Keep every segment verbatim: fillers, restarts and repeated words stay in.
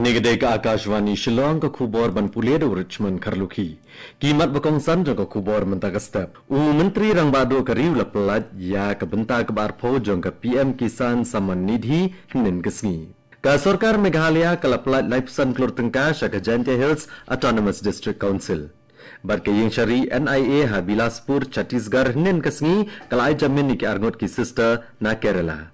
Kane ka dei ka Akashvani Shillong, ka khubor ban pule da u Richmond Kharlukhi. Ki mat ba kongsan jong ka khubor mynta ka step. U Myntri Rangbah Duh ka ri u la pyllait ïa ka bynta kaba arphew jong ka P M Kisan Samman Nidhi hynnin ka sngi. Ka sorkar Meghalaya ka la pyllait laiphew san klur tyngka sha ka Jaintia Hills Autonomous District Council. Bad ka ïingshari N I A ha Bilaspur, Chhattisgarh hynnin ka sngi ka la ai jamin ïa ki arngut ki sister na Kerala.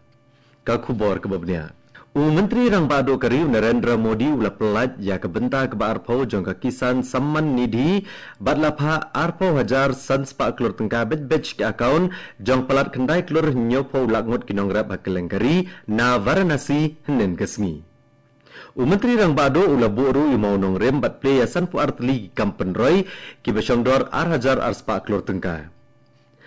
Ka khubor kaba bniah. U Myntri Rangbah Duh ka ri u Narendra Modi u la pyllait ïa ka bynta kaba arphew jong ka Kisan Samman Nidhi bad la phah arphew hajar san spah klur tyngka beit beit ki account jong palat khyndai klur hynñiewphew lak ngut ki nongrep ha kylleng ka ri na Varanasi hynnin ka sngi. U Myntri Rangbah Duh u la buh ruh ïa u mawnongrim bad plie ïa sanphew ar tylli ki kam pynroi kiba shongdor ar hajar ar spah klur tyngka.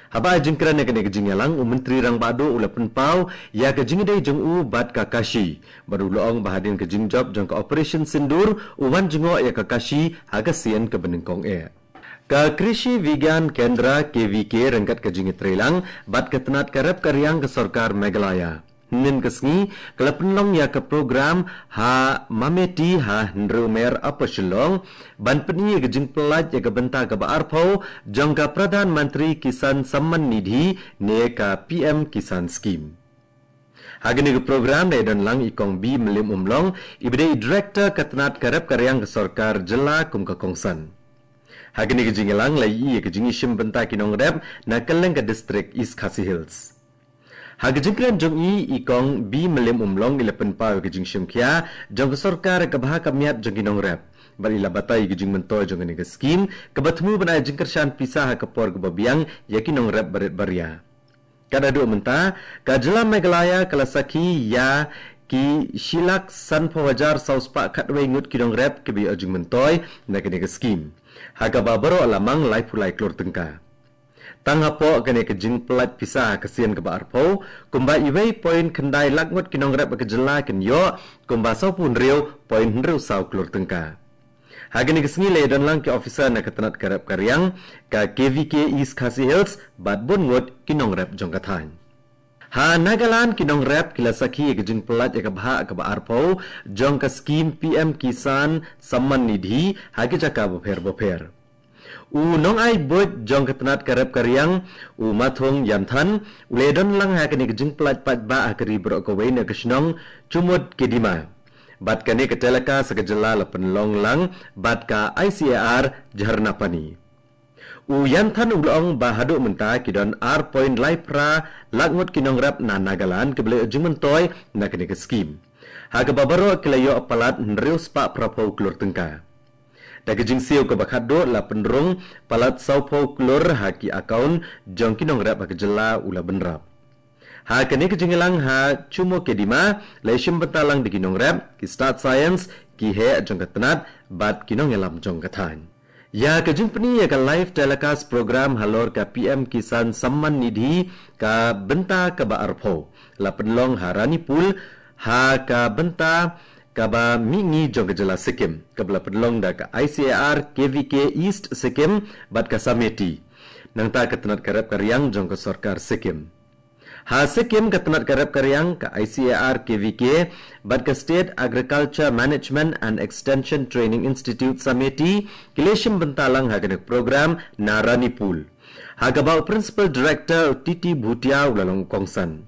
Haba ai jingkren ïa kane ka jingïalang, u Myntri Rangbah Duh u la pynpaw ïa ka jingïadei jong u bad ka Kashi bad u la ong ba hadien ka jingjop jong ka Operation Sindoor u wan jngoh ïa ka Kashi ha ka sien kaba nyngkong eh. Ka Krishi Vigyan Kendra, K V K, ryngkat ka jingïatreilang bad ka tnat ka rep ka riang ka sorkar Meghalaya, hynnin ka sngi ka la pynlong ïa ka program ha Mameti ha Hynriew Mer, Upper Shillong, ban pyni ïa ka jingpyllait ïa ka bynta kaba arphew jong ka Pradhan Mantri Kisan Samman Nidhi ne ka P M Kisan Scheme. Ha kane ka program la ïadonlang i Kong B Mylliemumlong, iba dei i Director ka tnat ka rep ka riang ka sorkar jylla kum ka kongsan. Ha kane ka jingïalang la ïohi ïa ka jingïashim bynta ki nongrep na kylleng ka district East Khasi Hills. Ha ka jingkren jong i, i Kong B Mylliemumlong i la pynpaw ïa ka jingshim khia jong ka sorkar ïa ka bha ka miat jong ki nongrep bad i la batai ïa ka jingmyntoi jong kane ka scheme kaba thmu ban ai jingkyrshan pisa ha ka por kaba biang ïa ki nongrep barit baria. Kat haduh mynta, ka jylla Meghalaya ka la sakhi ïa ki shi lak sanphew hajar saw spah khatwei ngut ki nongrep kiba ïoh jingmyntoi na kane ka scheme, ha kaba baroh la mang laiphew lai klur tyngka. Tang hapoh kane ka jingpyllait pisa ha ka sien kaba arphew, kumba iwei point khyndai lak ngut ki nongrep ha ka jylla kin ïoh kumba sawphew hynriew point hynriew saw klur tyngka. Ha kane ka sngi la ïadonlang ki officer na ka tnat ka rep ka riang ka K V K East Khasi Hills bad bun ngut ki nongrep jong ka thaiñ. Ha Nagaland, ki nongrep ki la sakhi ïa ka jingpyllait ïa ka bhah kaba arphew jong ka scheme P M Kisan Samman Nidhi ha ki jaka bapher bapher. U nongai buit jong ka tnat ka rep ka riang, u Mathung Yanthan, u la ïadonlang ha kane ka jingpyllait paidbah ha ka ri baroh kawei na ka shnong Chumoukedima. Bad kane ka telecast ha ka jylla la pynlong lang bad ka I C A R Jharnapani. U Yanthan u la ong ba haduh mynta ki don ar point lai phra lak ngut ki nongrep na Nagaland kiba la ïoh jingmyntoi na kane ka scheme, ha kaba baroh ki la ïoh palat hynriew spah phraphew klur tyngka. Da ka jingsiew kaba khatduh la pynrung palat sawphew klur ha ki account jong ki nongrep ha ka jylla, u la bynrap. Ha kane ka jingïalang ha Chumoukedima la ïashim bynta lang da ki nongrep, ki stad science, ki heh jong ka tnat bad ki nongïalam jong ka thaiñ. Ïa ka jingpyni ïa ka live telecast program halor ka P M Kisan Samman Nidhi ka bynta kaba arphew la pynlong ha Ranipul, ha ka bynta kaba mihngi jong ka jylla Sikkim, kaba la pynlong da ka I C A R K V K East Sikkim bad ka Sameti, nangta ka tnat ka rep ka riang jong ka sorkar Sikkim. Ha Sikkim, ka tnat ka rep ka riang ka I C A R K V K bad ka State Agriculture Management and Extension Training Institute, Sameti, ki la ïashim bynta lang ha kane ka program na Ranipul, ha kaba u Principal Director, u T T Bhutia, u la long kongsan.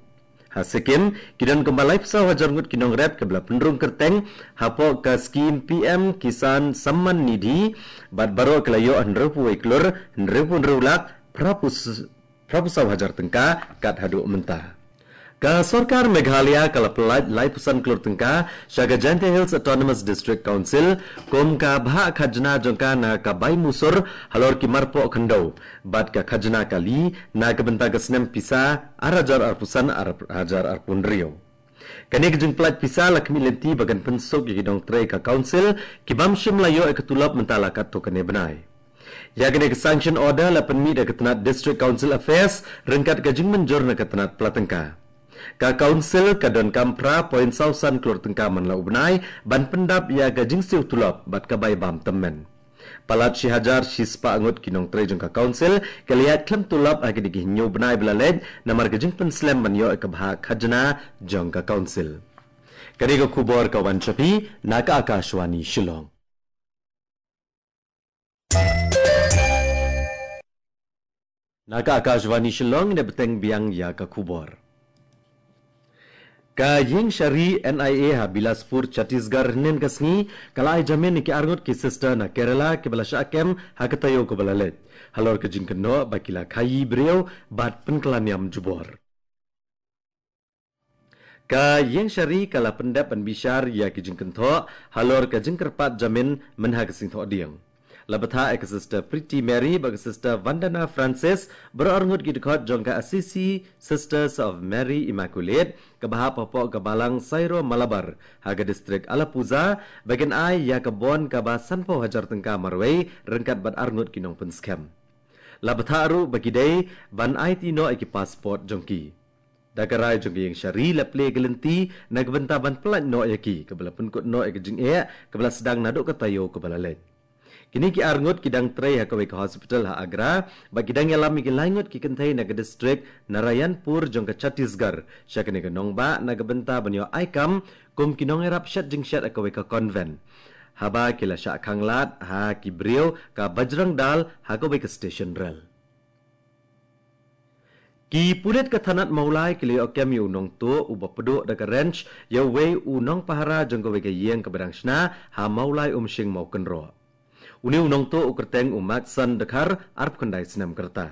Ha Sikkim, ki don kumba laiphew saw hajar ngut ki nongrep kiba la pynrung kyrteng hapoh ka scheme P M Kisan Samman Nidhi, bad baroh ki la ïoh hynriewphew wei klur hynriewphew hynriew lak phraphew phraphew saw hajar tyngka kat haduh mynta. Ka sorkar Meghalaya ka la pyllait laiphew san klur tyngka sha ka Jaintia Hills Autonomous District Council kum ka bhah khajna jong ka na ka bai musur halor ki marpoh khyndew bad ka khajna kali na ka bynta ka snem pisa ar hajar arphew san ar hajar arphew hynriew. Kane ka jingpyllait pisa la khmih lynti ba kan pynsuk ïa ki nongtrei ka council ki bym shym la ïoh ïa ka tulop mynta la katto katne bnai. Ïa kane ka sanction order la pynmih da ka tnat District Council Affairs ryngkat ka jingmynjur na ka tnat pla tyngka. Ka council ka donkam phra point saw san klur tyngka man la u bnai ban pyndap ïa ka jingsiew tulop bad ka bai bam tymmen. Palat shi hajar shi spah ngut ki nongtrei jong ka council ki la ïaid khlem tulop ha kine ki hynñiew bnai ba la leit namar ka jingpynslem ban ïoh ïa ka bhah khajna jong ka council. Kane ka khubor ka wan sha phi na ka Akashvani Shillong. Na ka Akashvani Shillong, ne bteng biang ïa ka khubor. Ka ïing shari N I A ha Bilaspur, Chhattisgarh, hynnin ka sngi ka la ai jamin ïa ki arngut ki sister na Kerala kiba la shah kem ha ka taïew kaba la leit, halor ka jingkynnoh ba ki la khaïi briew bad pynkylla niam jubor. Ka ïing shari ka la pyndep ban bishar ïa ki jingkynthoh halor ka jingkyrpad jamin mynha ka sngi Thohdieng. La bthah ïa ka Sister Pretty Mary bad ka Sister Vandana Francis, baroh arngut ki dkhot jong ka Assisi Sisters of Mary Immaculate, kaba hap hapoh ka Balang Syro Malabar ha ka distrik Alappuzha, ba kin ai ïa ka bond kaba sanphew hajar tyngka marwei ryngkat bad arngut ki nongpynskhem. La bthah ruh ba ki dei ban aiti noh ïa ki passport jong ki. Da ka rai jong ka ïing shari la plie ka lynti na ka bynta ban pyllait noh ïa ki, kaba la pynkut noh ïa ka jingeh kaba la sdang naduh ka taïew kaba la leit. Kine ki arngut ki dang trei ha kawei ka hospital ha Agra, bad ki dang ïalam ïa ki laingut ki kynthei na ka distrik Narayanpur jong ka Chhattisgarh sha kane ka nongbah na ka bynta ban ïoh ai kam kum ki nongïarap shet jingshet ha kawei ka convent, haba ki la shah khanglad ha ki briew ka Bajrang Dal ha kawei ka station rel. Ki pulit ka thanat Mawlai ki la ïoh kem ïa u nongtuh uba pduh da ka wrench ïa uwei u nongpahara jong kawei ka ïing kaba dang shna ha Mawlai Umshing, Mawkynroh. Une u nongtuh u kyrteng u Matson Dkhar, arphew khyndai snem ka rta.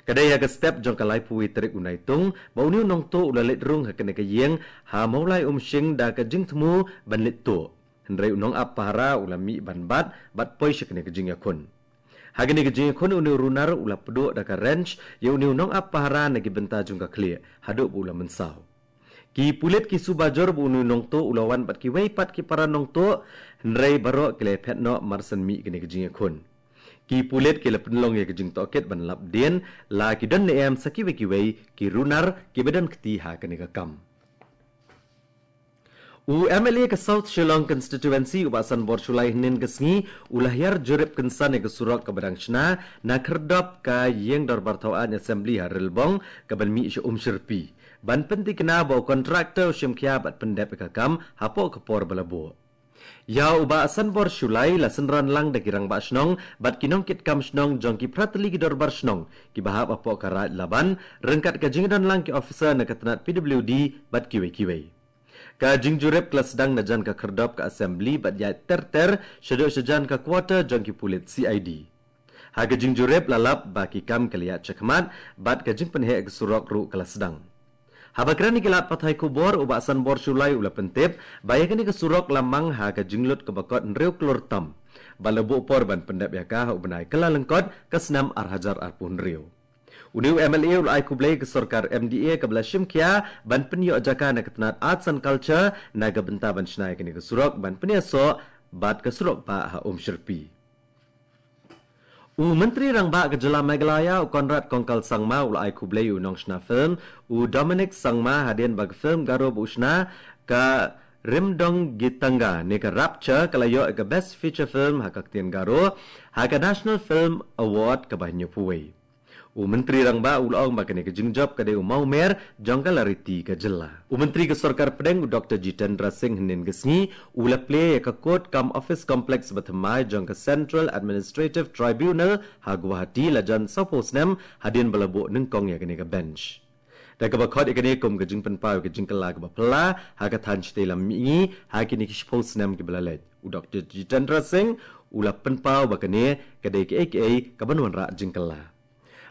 Ka dei ha ka step jong ka laiphew wei tarik u Naitung ba une u nongtuh u la leit rung ha kane ka ïing ha Mawlai Umshing da ka jingthmu ban leit tuh, hynrei u nongap pahara u la mih ban bat bad poi sha kane ka jingïakhun. Ha kane ka jingïakhun une u runar u la pduh da ka wrench ïa une u nongap pahara na ki bynta jong ka khlieh haduh ba u la mynsaw. Ki pulit ki suba jur ba une u nongtuh u la wan bad kiwei pat ki para nongtuh, hynrei baroh ki la phet noh mar shen mih kane ka jingïakhun. Ki pulit ki la pynlong ïa ka jingtohkit ban lap dien la ki don ne em sa kiwei kiwei ki runar kiba don kti ha kane ka kam. U M L A ka South Shillong Constituency u Bah Sanbor Shullai hynnin ka sngi u la hiar jurip kynsan ïa ka surok kaba dang shna na khyrdop ka ïing dorbar thaw aiñ Assembly ha Rilbong kaban mih sha Umshyrpi, ban pyntikna ba u contractor u shim khia bad pyndep ïa ka kam hapoh ka por ba la buh. Ïa u Bah Sanbor Shullai la synran lang da ki rangbah shnong bad ki nongkitkam shnong jong ki phra tylli ki dorbar shnong kiba hap hapoh ka Raid Laban, ryngkat ka jingdon lang ki officer na ka tnat P W D bad kiwei kiwei. Ka jingjurip ka la sdang na jan ka khyrdop ka Assembly bad ïaid ter ter shaduh shajan ka quarter jong ki pulit C I D. Ha ka jingjurip la lap ba ki kam ki la ïaid shakhmat bad ka jingpynheh ka surok ruh ka la sdang. Haba kren ïa ki lad pathai khubor, u Bah Sanbor Shullai u la pyntip ba ïa kane ka surok la mang ha ka jinglut kaba kot hynriew klur tam, bad la buh por ban pyndep ïa ka ha u bnai Kyllalyngkot ka snem ar hajar arphew hynriew. Une u M L A u la ai khublei ïa ka sorkar M D A kaba la shim khia ban pynïoh jaka na ka tnat Arts and Culture na ka bynta ban shna ïa kane ka surok ban pynïasoh bad ka surok bah ha Umshyrpi. U Myntri Rangbah ka Jylla Meghalaya u Conrad Kongkal Sangma u la ai khublei ïa u nongshna film u Dominic Sangma hadien ba ka film Garo ba u shna ka Rimdong Gitanga ne ka Rapture ka la ïoh ïa ka Best Feature Film ha ka ktien Garo ha ka National Film Award kaba hynñiewphew wei. U Myntri Rangbah u la ong ba kane ka jingjop ka dei u mawmer jong ka lariti ka jylla. U Myntri ka Sorkar Pdeng u Doctor Jitendra Singh hynnin ka sngi u la plie ïa ka Court cum Office Complex bathymmai jong ka Central Administrative Tribunal ha Guwahati lajan sawphew snem hadien ba la buh nyngkong ïa kane ka bench. Da kaba khot ïa kane kum ka jingpynpaw ïa ka jingkylla kaba phylla ha ka thaiñ shatei lam mihngi ha kine ki shiphew snem kiba la leit, u Doctor Jitendra Singh u la pynpaw ba kane ka dei kaei kaei kaban wanrah jingkylla.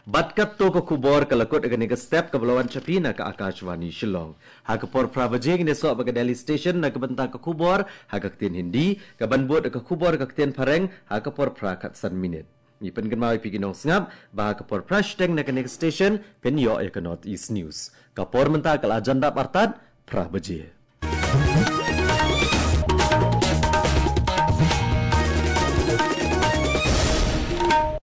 Bad katto ka khubor ka la kut ïa kane ka step kaba la wan sha phi na ka Akashvani Shillong. Ha ka por phra baje ngin ïasoh bad ka Delhi Station na ka bynta ka khubor ha ka ktien Hindi, kaban bud ka khubor ka ktien Phareng ha ka por phra khatsan minit. Ngi pynkynmaw ïa phi ki nongsngap ba ha ka por phra shiteng na kane ka station phin ïoh ïa ka North East News. Ka por mynta ka la jan dap artat phra baje.